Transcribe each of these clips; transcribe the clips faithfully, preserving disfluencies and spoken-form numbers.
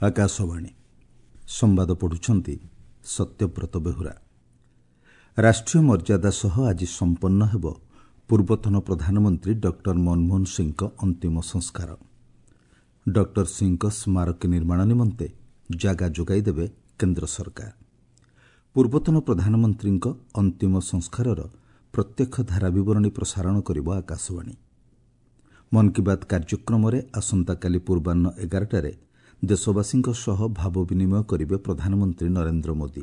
ଆକାଶବାଣୀ ସମ୍ବାଦ ପଢୁଛନ୍ତି ସତ୍ୟବ୍ରତ ବେହୁରା ରାଷ୍ଟ୍ରୀୟ ମର୍ଯ୍ୟାଦା ସହ ଆଜି ସମ୍ପନ୍ନ ହେବ ପୂର୍ବତନ ପ୍ରଧାନମନ୍ତ୍ରୀ ଡକ୍ଟର ମନମୋହନ ସିଂହଙ୍କ ଅନ୍ତିମ ସଂସ୍କାର ଡକ୍ଟର ସିଂହଙ୍କ ସ୍ମାରକୀ ନିର୍ମାଣ ନିମନ୍ତେ ଜାଗା ଯୋଗାଇ ଦେବେ କେନ୍ଦ୍ର ସରକାର ପୂର୍ବତନ ପ୍ରଧାନମନ୍ତ୍ରୀଙ୍କ ଅନ୍ତିମ ସଂସ୍କାରର ପ୍ରତ୍ୟକ୍ଷ ଧାରାବିବରଣୀ ପ୍ରସାରଣ କରିବ ଆକାଶବାଣୀ ମନ୍ କି ବାତ୍ କାର୍ଯ୍ୟକ୍ରମରେ ଆସନ୍ତାକାଲି ପୂର୍ବାହ୍ନ ଏଗାରଟାରେ ଦେଶବାସୀଙ୍କ ସହ ଭାବ ବିନିମୟ କରିବେ ପ୍ରଧାନମନ୍ତ୍ରୀ ନରେନ୍ଦ୍ର ମୋଦି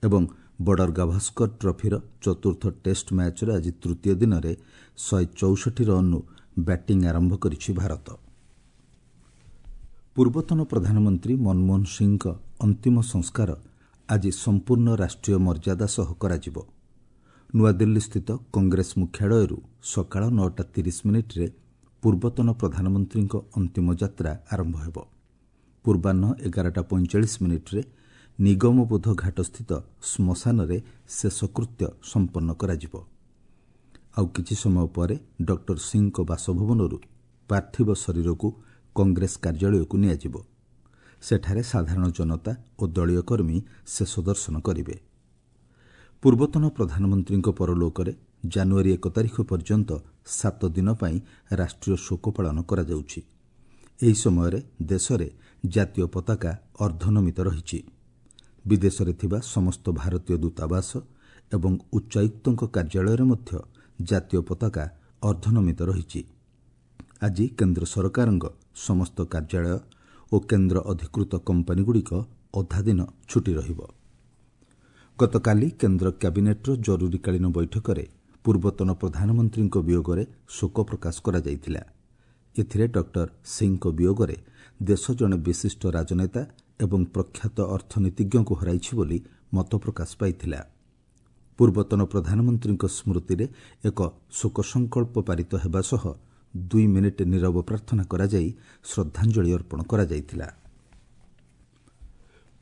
ଏବଂ ବର୍ଡର ଗାଭାସ୍କର ଟ୍ରଫିର ଚତୁର୍ଥ ଟେଷ୍ଟ ମ୍ୟାଚ୍ର ଆଜି ତୃତୀୟ ଦିନରେ ଶହେ ଚଉଷଠି ରନ୍ରୁ ବ୍ୟାଟିଂ ଆରମ୍ଭ କରିଛି ଭାରତ ପୂର୍ବତନ ପ୍ରଧାନମନ୍ତ୍ରୀ ମନମୋହନ ସିଂହଙ୍କ ଅନ୍ତିମ ସଂସ୍କାର ଆଜି ସମ୍ପୂର୍ଣ୍ଣ ରାଷ୍ଟ୍ରୀୟ ମର୍ଯ୍ୟାଦା ସହ କରାଯିବ ନୂଆଦିଲ୍ଲୀସ୍ଥିତ କଂଗ୍ରେସ ମୁଖ୍ୟାଳୟରୁ ସକାଳ ନଅଟା ତିରିଶ ମିନିଟ୍ରେ ପୂର୍ବତନ ପ୍ରଧାନମନ୍ତ୍ରୀଙ୍କ ଅନ୍ତିମ ଯାତ୍ରା ଆରମ୍ଭ ହେବ ପୂର୍ବାହ୍ନ ଏଗାରଟା ପଇଁଚାଳିଶ ମିନିଟ୍ରେ ନିଗମବୋଧ ଘାଟସ୍ଥିତ ଶ୍ମଶାନରେ ଶେଷକୃତ୍ୟ ସମ୍ପନ୍ନ କରାଯିବ ଆଉ କିଛି ସମୟ ପରେ ଡକ୍ଟର ସିଂହଙ୍କ ବାସଭବନରୁ ପାର୍ଥିବ ଶରୀରକୁ କଂଗ୍ରେସ କାର୍ଯ୍ୟାଳୟକୁ ନିଆଯିବ ସେଠାରେ ସାଧାରଣ ଜନତା ଓ ଦଳୀୟ କର୍ମୀ ଶେଷ ଦର୍ଶନ କରିବେ ପୂର୍ବତନ ପ୍ରଧାନମନ୍ତ୍ରୀଙ୍କ ପରଲୋକରେ ଜାନୁଆରୀ ଏକ ତାରିଖ ପର୍ଯ୍ୟନ୍ତ ସାତ ଦିନ ପାଇଁ ରାଷ୍ଟ୍ରୀୟ ଶୋକ ପାଳନ କରାଯାଉଛି ଏହି ସମୟରେ ଦେଶରେ ଜାତୀୟ ପତାକା ଅର୍ଦ୍ଧନମିତ ରହିଛି ବିଦେଶରେ ଥିବା ସମସ୍ତ ଭାରତୀୟ ଦୂତାବାସ ଏବଂ ଉଚ୍ଚାୟୁକ୍ତଙ୍କ କାର୍ଯ୍ୟାଳୟରେ ମଧ୍ୟ ଜାତୀୟ ପତାକା ଅର୍ଦ୍ଧନମିତ ରହିଛି ଆଜି କେନ୍ଦ୍ର ସରକାରଙ୍କ ସମସ୍ତ କାର୍ଯ୍ୟାଳୟ ଓ କେନ୍ଦ୍ର ଅଧିକୃତ କମ୍ପାନୀଗୁଡ଼ିକ ଅଧାଦିନ ଛୁଟି ରହିବ ଗତକାଲି କେନ୍ଦ୍ର କ୍ୟାବିନେଟ୍ର ଜରୁରୀକାଳୀନ ବୈଠକରେ ପୂର୍ବତନ ପ୍ରଧାନମନ୍ତ୍ରୀଙ୍କ ବିୟୋଗରେ ଶୋକ ପ୍ରକାଶ କରାଯାଇଥିଲା ଏଥିରେ ଡକ୍ଟର ସିଂହଙ୍କ ବିୟୋଗରେ ଦେଶ ଜଣେ ବିଶିଷ୍ଟ ରାଜନେତା ଏବଂ ପ୍ରଖ୍ୟାତ ଅର୍ଥନୀତିଜ୍ଞଙ୍କୁ ହରାଇଛି ବୋଲି ମତ ପ୍ରକାଶ ପାଇଥିଲା ପୂର୍ବତନ ପ୍ରଧାନମନ୍ତ୍ରୀଙ୍କ ସ୍ମୃତିରେ ଏକ ଶୋକସଂକଳ୍ପ ପାରିତ ହେବା ସହ ଦୁଇ ମିନିଟ୍ ନୀରବ ପ୍ରାର୍ଥନା କରାଯାଇ ଶ୍ରଦ୍ଧାଞ୍ଜଳି ଅର୍ପଣ କରାଯାଇଥିଲା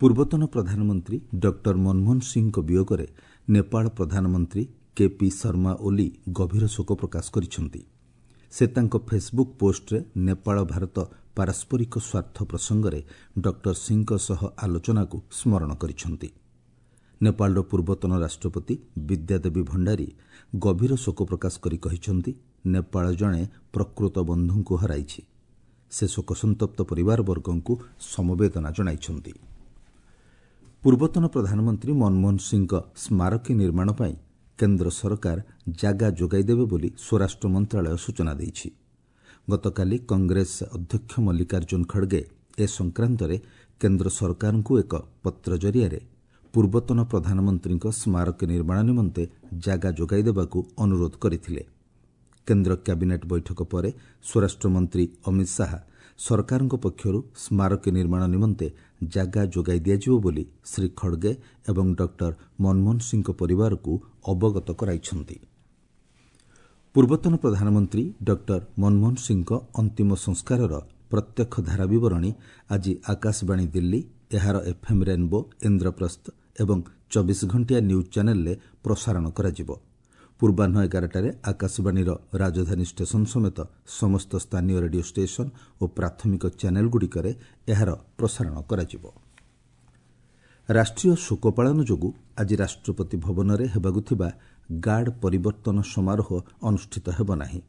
ପୂର୍ବତନ ପ୍ରଧାନମନ୍ତ୍ରୀ ଡକ୍ଟର ମନମୋହନ ସିଂହଙ୍କ ବିୟୋଗରେ ନେପାଳ ପ୍ରଧାନମନ୍ତ୍ରୀ କେପି ଶର୍ମା ଓଲି ଗଭୀର ଶୋକ ପ୍ରକାଶ କରିଛନ୍ତି ସେ ତାଙ୍କ ଫେସ୍ବୁକ୍ ପୋଷ୍ଟରେ ନେପାଳ ଭାରତ ପାରସ୍ପରିକ ସ୍ୱାର୍ଥ ପ୍ରସଙ୍ଗରେ ଡକ୍ଟର ସିଂହଙ୍କ ସହ ଆଲୋଚନାକୁ ସ୍ମରଣ କରିଛନ୍ତି ନେପାଳର ପୂର୍ବତନ ରାଷ୍ଟ୍ରପତି ବିଦ୍ୟାଦେବୀ ଭଣ୍ଡାରୀ ଗଭୀର ଶୋକ ପ୍ରକାଶ କରି କହିଛନ୍ତି ନେପାଳ ଜଣେ ପ୍ରକୃତ ବନ୍ଧୁଙ୍କୁ ହରାଇଛି ସେ ଶୋକସନ୍ତପ୍ତ ପରିବାରବର୍ଗଙ୍କୁ ସମବେଦନା ଜଣାଇଛନ୍ତି ପୂର୍ବତନ ପ୍ରଧାନମନ୍ତ୍ରୀ ମନମୋହନ ସିଂହଙ୍କ ସ୍ମାରକୀ ନିର୍ମାଣ ପାଇଁ କେନ୍ଦ୍ର ସରକାର ଜାଗା ଯୋଗାଇ ଦେବେ ବୋଲି ସ୍ୱରାଷ୍ଟ୍ର ମନ୍ତ୍ରଣାଳୟ ସୂଚନା ଦେଇଛି ଗତକାଲି କଂଗ୍ରେସ ଅଧ୍ୟକ୍ଷ ମଲ୍ଲିକାର୍ଜୁନ ଖଡ଼ଗେ ଏ ସଂକ୍ରାନ୍ତରେ କେନ୍ଦ୍ର ସରକାରଙ୍କୁ ଏକ ପତ୍ର ଜରିଆରେ ପୂର୍ବତନ ପ୍ରଧାନମନ୍ତ୍ରୀଙ୍କ ସ୍ମାରକୀ ନିର୍ମାଣ ନିମନ୍ତେ ଜାଗା ଯୋଗାଇ ଦେବାକୁ ଅନୁରୋଧ କରିଥିଲେ କେନ୍ଦ୍ର କ୍ୟାବିନେଟ୍ ବୈଠକ ପରେ ସ୍ୱରାଷ୍ଟ୍ରମନ୍ତ୍ରୀ ଅମିତ ଶାହା ସରକାରଙ୍କ ପକ୍ଷରୁ ସ୍ମାରକୀ ନିର୍ମାଣ ନିମନ୍ତେ ଜାଗା ଯୋଗାଇ ଦିଆଯିବ ବୋଲି ଶ୍ରୀ ଖଡ଼ଗେ ଏବଂ ଡକ୍ଟର ମନମୋହନ ସିଂହଙ୍କ ପରିବାରକୁ ଅବଗତ କରାଇଛନ୍ତି ପୂର୍ବତନ ପ୍ରଧାନମନ୍ତ୍ରୀ ଡକ୍ଟର ମନମୋହନ ସିଂହଙ୍କ ଅନ୍ତିମ ସଂସ୍କାରର ପ୍ରତ୍ୟକ୍ଷ ଧାରାବିବରଣୀ ଆଜି ଆକାଶବାଣୀ ଦିଲ୍ଲୀ ଏହାର ଏଫ୍ଏମ୍ ରେନ୍ବୋ ଇନ୍ଦ୍ରପ୍ରସ୍ଥ ଏବଂ ଚବିଶ ଘଣ୍ଟିଆ ନ୍ୟୁଜ୍ ଚ୍ୟାନେଲ୍ରେ ପ୍ରସାରଣ କରାଯିବ ପୂର୍ବାହ୍ନ ଏଗାରଟାରେ ଆକାଶବାଣୀର ରାଜଧାନୀ ଷ୍ଟେସନ ସମେତ ସମସ୍ତ ସ୍ଥାନୀୟ ରେଡିଓ ଷ୍ଟେସନ ଓ ପ୍ରାଥମିକ ଚ୍ୟାନେଲ୍ଗୁଡ଼ିକରେ ଏହାର ପ୍ରସାରଣ କରାଯିବ ରାଷ୍ଟ୍ରୀୟ ଶୋକ ପାଳନ ଯୋଗୁଁ ଆଜି ରାଷ୍ଟ୍ରପତି ଭବନରେ ହେବାକୁ ଥିବା ଗାର୍ଡ ପରିବର୍ତ୍ତନ ସମାରୋହ ଅନୁଷ୍ଠିତ ହେବ ନାହିଁ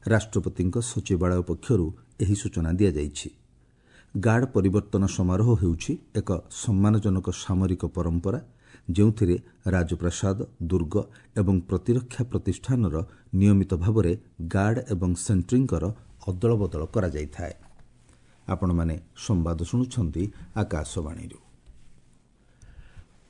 ରାଷ୍ଟ୍ରପତିଙ୍କ ସଚିବାଳୟ ପକ୍ଷରୁ ଏହି ସୂଚନା ଦିଆଯାଇଛି ଗାର୍ଡ ପରିବର୍ତ୍ତନ ସମାରୋହ ହେଉଛି ଏକ ସମ୍ମାନଜନକ ସାମରିକ ପରମ୍ପରା ଯେଉଁଥିରେ ରାଜପ୍ରାସାଦ ଦୁର୍ଗ ଏବଂ ପ୍ରତିରକ୍ଷା ପ୍ରତିଷ୍ଠାନର ନିୟମିତ ଭାବରେ ଗାର୍ଡ ଏବଂ ସେଣ୍ଟ୍ରିଙ୍କର ଅଦଳବଦଳ କରାଯାଇଥାଏ ଆପଣମାନେ ସମ୍ବାଦ ଶୁଣୁଛନ୍ତି ଆକାଶବାଣୀରୁ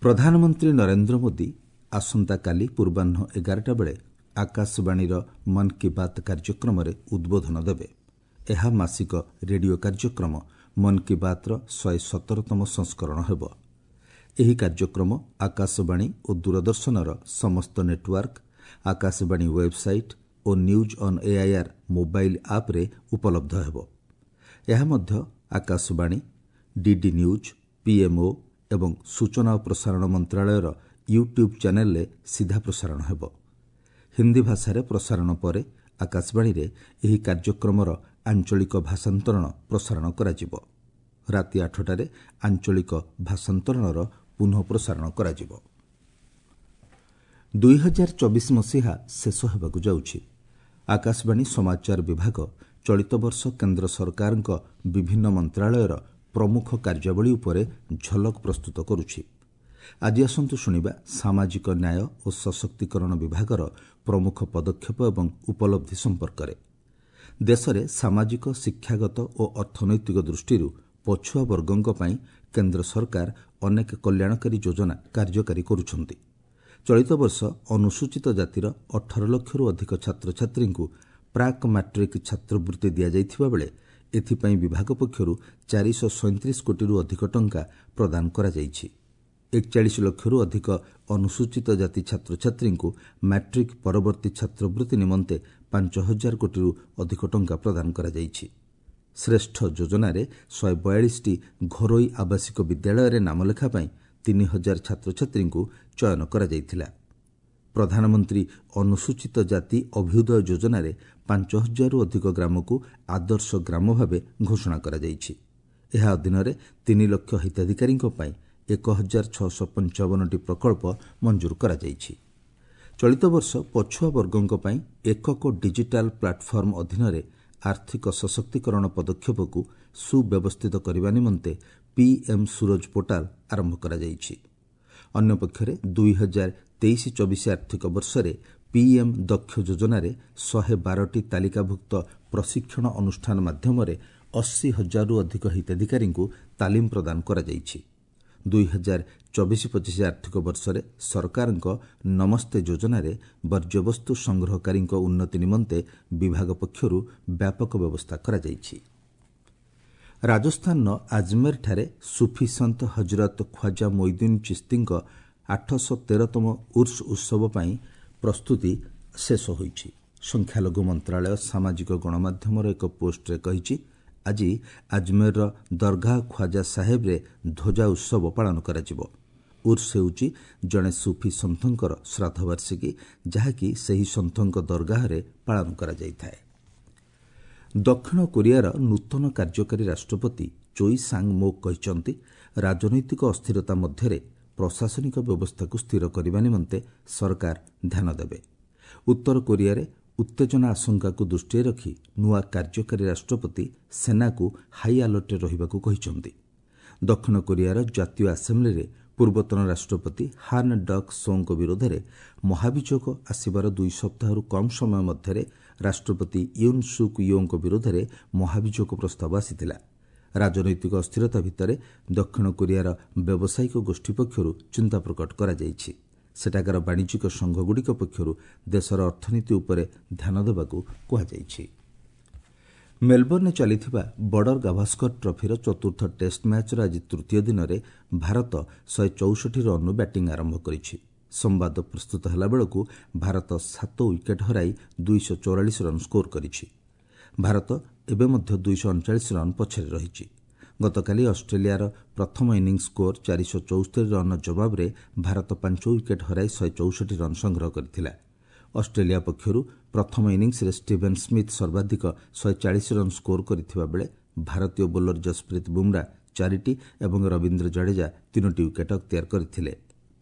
ପ୍ରଧାନମନ୍ତ୍ରୀ ନରେନ୍ଦ୍ର ମୋଦି ଆସନ୍ତାକାଲି ପୂର୍ବାହ୍ନ ଏଗାରଟା ବେଳେ ଆକାଶବାଣୀର ମନ୍ କି ବାତ୍ କାର୍ଯ୍ୟକ୍ରମରେ ଉଦ୍ବୋଧନ ଦେବେ ଏହା ମାସିକ ରେଡିଓ କାର୍ଯ୍ୟକ୍ରମ ମନ୍ କି ବାତ୍ର ଶହେ ସତରତମ ସଂସ୍କରଣ ହେବ ଏହି କାର୍ଯ୍ୟକ୍ରମ ଆକାଶବାଣୀ ଓ ଦୂରଦର୍ଶନର ସମସ୍ତ network Akashvani website O news on AIR mobile ଆପ୍ରେ ଉପଲବ୍ଧ ହେବ ଏହା ମଧ୍ୟ ଆକାଶବାଣୀ ଡିଡି ନ୍ୟୁଜ୍ ପିଏମ୍ଓ ଏବଂ ସୂଚନା ଓ ପ୍ରସାରଣ ମନ୍ତ୍ରଣାଳୟର ୟୁଟ୍ୟୁବ୍ ଚ୍ୟାନେଲ୍ରେ ସିଧା ପ୍ରସାରଣ ହେବ ହିନ୍ଦୀ ଭାଷାରେ ପ୍ରସାରଣ ପରେ ଆକାଶବାଣୀରେ ଏହି କାର୍ଯ୍ୟକ୍ରମର ଆଞ୍ଚଳିକ ଭାଷାନ୍ତରଣ ପ୍ରସାରଣ କରାଯିବ ରାତି ଆଠଟାରେ ଆଞ୍ଚଳିକ ଭାଷାନ୍ତରଣର ପୁନଃ ପ୍ରସାରଣ କରାଯିବ। ଦୁଇ ହଜାର ଚବିଶ ମସିହା ଶେଷ ହେବାକୁ ଯାଉଛି। ଆକାଶବାଣୀ ସମାଚାର ବିଭାଗ ଚଳିତ ବର୍ଷ କେନ୍ଦ୍ର ସରକାରଙ୍କ ବିଭିନ୍ନ ମନ୍ତ୍ରଣାଳୟର ପ୍ରମୁଖ କାର୍ଯ୍ୟାବଳୀ ଉପରେ ଝଲକ ପ୍ରସ୍ତୁତ କରୁଛି। ଆଜି ଆସନ୍ତୁ ଶୁଣିବା ସାମାଜିକ ନ୍ୟାୟ ଓ ସଶକ୍ତିକରଣ ବିଭାଗର ପ୍ରମୁଖ ପଦକ୍ଷେପ ଏବଂ ଉପଲବ୍ଧି ସମ୍ପର୍କରେ। ଦେଶରେ ସାମାଜିକ, ଶିକ୍ଷାଗତ ଓ ଅର୍ଥନୈତିକ ଦୃଷ୍ଟିରୁ ପଛୁଆ ବର୍ଗଙ୍କ ପାଇଁ କେନ୍ଦ୍ର ସରକାର ଅନେକ କଲ୍ୟାଣକାରୀ ଯୋଜନା କାର୍ଯ୍ୟକାରୀ କରୁଛନ୍ତି। ଚଳିତ ବର୍ଷ ଅନୁସୂଚିତ ଜାତିର ଅଠର ଲକ୍ଷରୁ ଅଧିକ ଛାତ୍ରଛାତ୍ରୀଙ୍କୁ ପ୍ରାକ୍ ମାଟ୍ରିକ୍ ଛାତ୍ରବୃତ୍ତି ଦିଆଯାଇଥିବା ବେଳେ ଏଥିପାଇଁ ବିଭାଗ ପକ୍ଷରୁ ଚାରିଶହ ସଇଁତିରିଶ କୋଟିରୁ ଅଧିକ ଟଙ୍କା ପ୍ରଦାନ କରାଯାଇଛି। ଏକଚାଳିଶ ଲକ୍ଷରୁ ଅଧିକ ଅନୁସୂଚିତ ଜାତି ଛାତ୍ରଛାତ୍ରୀଙ୍କୁ ମାଟ୍ରିକ୍ ପରବର୍ତ୍ତୀ ଛାତ୍ରବୃତ୍ତି ନିମନ୍ତେ ପାଞ୍ଚ ହଜାର କୋଟିରୁ ଅଧିକ ଟଙ୍କା ପ୍ରଦାନ କରାଯାଇଛି। ଶ୍ରେଷ୍ଠ ଯୋଜନାରେ ଶହେ ବୟାଳିଶଟି ଘରୋଇ ଆବାସିକ ବିଦ୍ୟାଳୟରେ ନାମଲେଖା ପାଇଁ ତିନି ହଜାର ଛାତ୍ରଛାତ୍ରୀଙ୍କୁ ଚୟନ କରାଯାଇଥିଲା। ପ୍ରଧାନମନ୍ତ୍ରୀ ଅନୁସୂଚିତ ଜାତି ଅଭ୍ୟୁଦୟ ଯୋଜନାରେ ପାଞ୍ଚ ହଜାରରୁ ଅଧିକ ଗ୍ରାମକୁ ଆଦର୍ଶ ଗ୍ରାମ ଭାବେ ଘୋଷଣା କରାଯାଇଛି। ଏହା ଅଧୀନରେ ତିନି ଲକ୍ଷ ହିତାଧିକାରୀଙ୍କ ପାଇଁ ଏକ ହଜାର ଛଅଶହ ପଞ୍ଚାବନଟି ପ୍ରକଳ୍ପ ମଞ୍ଜୁର କରାଯାଇଛି। ଚଳିତ ବର୍ଷ ପଛୁଆ ବର୍ଗଙ୍କ ପାଇଁ ଏକକ ଡିଜିଟାଲ ପ୍ଲାଟଫର୍ମ ଅଧୀନରେ ଆର୍ଥିକ ସଶକ୍ତିକରଣ ପଦକ୍ଷେପକୁ ସୁବ୍ୟବସ୍ଥିତ କରିବା ନିମନ୍ତେ ପିଏମ୍ ସୁରଜ ପୋର୍ଟାଲ ଆରମ୍ଭ କରାଯାଇଛି। ଅନ୍ୟପକ୍ଷରେ ଦୁଇ ହଜାର ତେଇଶ ଚବିଶ ଆର୍ଥିକ ବର୍ଷରେ ପିଏମ୍ ଦକ୍ଷ ଯୋଜନାରେ ଶହେ ବାରଟି ତାଲିକାଭୁକ୍ତ ପ୍ରଶିକ୍ଷଣ ଅନୁଷ୍ଠାନ ମାଧ୍ୟମରେ ଅଶୀ ହଜାରରୁ ଅଧିକ ହିତାଧିକାରୀଙ୍କୁ ତାଲିମ ପ୍ରଦାନ କରାଯାଇଛି। ଦୁଇ ହଜାର ଚବିଶ ପଚିଶ ଆର୍ଥିକ ବର୍ଷରେ ସରକାରଙ୍କ ନମସ୍ତେ ଯୋଜନାରେ ବର୍ଜ୍ୟବସ୍ତୁ ସଂଗ୍ରହକାରୀଙ୍କ ଉନ୍ନତି ନିମନ୍ତେ ବିଭାଗ ପକ୍ଷରୁ ବ୍ୟାପକ ବ୍ୟବସ୍ଥା କରାଯାଇଛି। ରାଜସ୍ଥାନର ଆଜମେରଠାରେ ସୁଫି ସନ୍ଥ ହଜରତ ଖ୍ୱାଜା ମୋଇଦ୍ଦିନ ଚିସ୍ତିଙ୍କ ଆଠଶହ ତେରତମ ଉର୍ସ ଉତ୍ସବ ପାଇଁ ପ୍ରସ୍ତୁତି ଶେଷ ହୋଇଛି। ସଂଖ୍ୟାଲଘୁ ମନ୍ତ୍ରଣାଳୟ ସାମାଜିକ ଗଣମାଧ୍ୟମର ଏକ ପୋଷ୍ଟରେ କହିଛି, ଆଜି ଆଜମେରର ଦରଗାହ ଖ୍ୱାଜା ସାହେବରେ ଧ୍ୱଜା ଉତ୍ସବ ପାଳନ କରାଯିବ। ଉର୍ସ ହେଉଛି ଜଣେ ସୁଫି ସନ୍ଥଙ୍କର ଶ୍ରାଦ୍ଧବାର୍ଷିକୀ, ଯାହାକି ସେହି ସନ୍ଥଙ୍କ ଦରଗାହରେ ପାଳନ କରାଯାଇଥାଏ। ଦକ୍ଷିଣ କୋରିଆର ନୂତନ କାର୍ଯ୍ୟକାରୀ ରାଷ୍ଟ୍ରପତି ଚୋଇ ସାଙ୍ଗ ମୋକ୍ କହିଛନ୍ତି, ରାଜନୈତିକ ଅସ୍ଥିରତା ମଧ୍ୟରେ ପ୍ରଶାସନିକ ବ୍ୟବସ୍ଥାକୁ ସ୍ଥିର କରିବା ନିମନ୍ତେ ସରକାର ଧ୍ୟାନ ଦେବେ। ଉତ୍ତର କୋରିଆରେ ଉତ୍ତେଜନା ଆଶଙ୍କାକୁ ଦୃଷ୍ଟିରେ ରଖି ନୂଆ କାର୍ଯ୍ୟକାରୀ ରାଷ୍ଟ୍ରପତି ସେନାକୁ ହାଇ ଆଲର୍ଟରେ ରହିବାକୁ କହିଛନ୍ତି। ଦକ୍ଷିଣ କୋରିଆର ଜାତୀୟ ଆସେମ୍ବ୍ଲିରେ ପୂର୍ବତନ ରାଷ୍ଟ୍ରପତି ହାନ୍ ଡକ୍ ସୋଙ୍କ ବିରୋଧରେ ମହାଭିଯୋଗ ଆସିବାର ଦୁଇ ସପ୍ତାହରୁ କମ୍ ସମୟ ମଧ୍ୟରେ ରାଷ୍ଟ୍ରପତି ୟୁନ୍ ସୁକ୍ ୟୋଙ୍କ ବିରୋଧରେ ମହାଭିଯୋଗ ପ୍ରସ୍ତାବ ଆସିଥିଲା। ରାଜନୈତିକ ଅସ୍ଥିରତା ଭିତରେ ଦକ୍ଷିଣ କୋରିଆର ବ୍ୟବସାୟିକ ଗୋଷ୍ଠୀ ପକ୍ଷରୁ ଚିନ୍ତା ପ୍ରକଟ କରାଯାଇଛି। ସେଠାକାର ବାଣିଜ୍ୟିକ ସଂଘଗୁଡ଼ିକ ପକ୍ଷରୁ ଦେଶର ଅର୍ଥନୀତି ଉପରେ ଧ୍ୟାନ ଦେବାକୁ କୁହାଯାଇଛି। ମେଲବର୍ଣ୍ଣରେ ଚାଲିଥିବା ବର୍ଡର ଗାଭାସ୍କର ଟ୍ରଫିର ଚତୁର୍ଥ ଟେଷ୍ଟ ମ୍ୟାଚ୍ର ଆଜି ତୃତୀୟ ଦିନରେ ଭାରତ ଶହେ ଚଉଷଠି ରନ୍ରୁ ବ୍ୟାଟିଂ ଆରମ୍ଭ କରିଛି। ସମ୍ବାଦ ପ୍ରସ୍ତୁତ ହେଲାବେଳକୁ ଭାରତ ସାତ ୱିକେଟ୍ ହରାଇ ଦୁଇଶହ ଚଉରାଳିଶ ରନ୍ ସ୍କୋର କରିଛି। ଭାରତ ଏବେ ମଧ୍ୟ ଦୁଇଶହ ଅଣଚାଳିଶ ରନ୍ ପଛରେ ରହିଛି। ଗତକାଲି ଅଷ୍ଟ୍ରେଲିଆର ପ୍ରଥମ ଇନିଂସ ସ୍କୋର ଚାରିଶହ ଚଉସ୍ତରୀ ରନ୍ର ଜବାବରେ ଭାରତ ପାଞ୍ଚ ୱିକେଟ୍ ହରାଇ ଶହେ ଚଉଷଠି ରନ୍ ସଂଗ୍ରହ କରିଥିଲା। ଅଷ୍ଟ୍ରେଲିଆ ପକ୍ଷରୁ ପ୍ରଥମ ଇନିଂସରେ ଷ୍ଟିଭେନ୍ ସ୍ମିଥ୍ ସର୍ବାଧିକ ଶହେ ଚାଳିଶ ରନ୍ ସ୍କୋର କରିଥିବା ବେଳେ ଭାରତୀୟ ବୋଲର ଜସପ୍ରୀତ ବୁମ୍ରା ଚାରିଟି ଏବଂ ରବୀନ୍ଦ୍ର ଜାଡେଜା ତିନୋଟି ୱିକେଟ୍ ଅକ୍ତିଆର କରିଥିଲେ।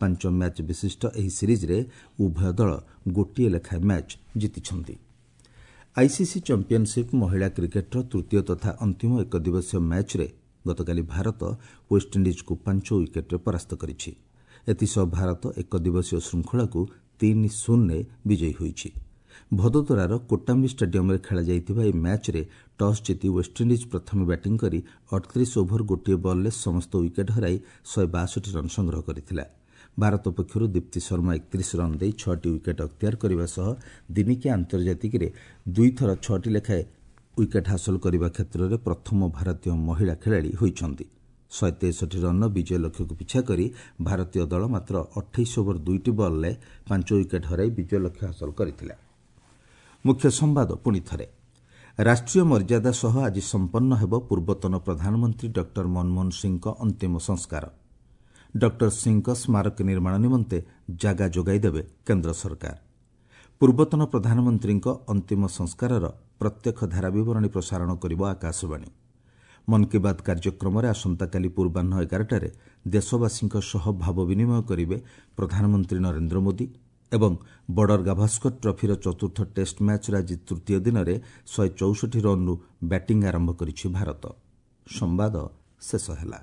ପାଞ୍ଚ ମ୍ୟାଚ୍ ବିଶିଷ୍ଟ ଏହି ସିରିଜ୍ରେ ଉଭୟ ଦଳ ଗୋଟିଏ ଲେଖାଏଁ ମ୍ୟାଚ୍ ଜିତିଛନ୍ତି। ଆଇସିସି ଚାମ୍ପିୟନସିପ୍ ମହିଳା କ୍ରିକେଟ୍ର ତୃତୀୟ ତଥା ଅନ୍ତିମ ଏକଦିବସୀୟ ମ୍ୟାଚ୍ରେ ଗତକାଲି ଭାରତ ୱେଷ୍ଟଇଣ୍ଡିଜ୍କୁ ପାଞ୍ଚ ୱିକେଟ୍ରେ ପରାସ୍ତ କରିଛି। ଏଥିସହ ଭାରତ ଏକଦିବସୀୟ ଶୃଙ୍ଖଳାକୁ ତିନି ଶୂନରେ ବିଜୟୀ ହୋଇଛି। ଭଦୋଦରାର କୋଟାମ୍ବି ଷ୍ଟାଡିୟମ୍ରେ ଖେଳାଯାଇଥିବା ଏହି ମ୍ୟାଚ୍ରେ ଟସ୍ ଜିତି ୱେଷ୍ଟଇଣ୍ଡିଜ୍ ପ୍ରଥମେ ବ୍ୟାଟିଂ କରି ଅଠତିରିଶ ଓଭର ଗୋଟିଏ ବଲ୍ରେ ସମସ୍ତ ୱିକେଟ୍ ହରାଇ ଶହେ ବାଷଠି ରନ୍ ସଂଗ୍ରହ କରିଥିଲା। ଭାରତ ପକ୍ଷରୁ ଦୀପ୍ତି ଶର୍ମା ଏକତିରିଶ ରନ୍ ଦେଇ ଛଅଟି ୱିକେଟ୍ ଅକ୍ତିଆର କରିବା ସହ ଦିନିକିଆ ଆନ୍ତର୍ଜାତିକରେ ଦୁଇଥର ଛଅଟି ଲେଖାଏଁ ୱିକେଟ୍ ହାସଲ କରିବା କ୍ଷେତ୍ରରେ ପ୍ରଥମ ଭାରତୀୟ ମହିଳା ଖେଳାଳି ହୋଇଛନ୍ତି। ଶହେ ତେଷଠି ରନ୍ର ବିଜୟ ଲକ୍ଷ୍ୟକୁ ପିଛା କରି ଭାରତୀୟ ଦଳ ମାତ୍ର ଅଠେଇଶ ଓଭର ଦୁଇଟି ବଲ୍ରେ ପାଞ୍ଚ ୱିକେଟ୍ ହରାଇ ବିଜୟ ଲକ୍ଷ୍ୟ ହାସଲ କରିଥିଲା। ମୁଖ୍ୟ ସମ୍ବାଦ ପୁଣି ଥରେ। ରାଷ୍ଟ୍ରୀୟ ମର୍ଯ୍ୟାଦା ସହ ଆଜି ସମ୍ପନ୍ନ ହେବ ପୂର୍ବତନ ପ୍ରଧାନମନ୍ତ୍ରୀ ଡକ୍ଟର ମନମୋହନ ସିଂଙ୍କ ଅନ୍ତିମ ସଂସ୍କାର। ଡକ୍ଟର ସିଂଙ୍କ ସ୍ମାରକୀ ନିର୍ମାଣ ନିମନ୍ତେ ଜାଗା ଯୋଗାଇ ଦେବେ କେନ୍ଦ୍ର ସରକାର। ପୂର୍ବତନ ପ୍ରଧାନମନ୍ତ୍ରୀଙ୍କ ଅନ୍ତିମ ସଂସ୍କାରର ପ୍ରତ୍ୟକ୍ଷ ଧାରାବିବରଣୀ ପ୍ରସାରଣ କରିବ ଆକାଶବାଣୀ। ମନ୍ କି ବାତ୍ କାର୍ଯ୍ୟକ୍ରମରେ ଆସନ୍ତାକାଲି ପୂର୍ବାହ୍ନ ଏଗାରଟାରେ ଦେଶବାସୀଙ୍କ ସହ ଭାବ ବିନିମୟ କରିବେ ପ୍ରଧାନମନ୍ତ୍ରୀ ନରେନ୍ଦ୍ର ମୋଦି ଏବଂ ବର୍ଡର ଗାଭାସ୍କର ଟ୍ରଫିର ଚତୁର୍ଥ ଟେଷ୍ଟ ମ୍ୟାଚ୍ର ଆଜି ତୃତୀୟ ଦିନରେ ଶହେ ଚଉଷଠି ରନ୍ରୁ ବ୍ୟାଟିଂ ଆରମ୍ଭ କରିଛି ଭାରତ। ସମ୍ବାଦ ଶେଷ ହେଲା।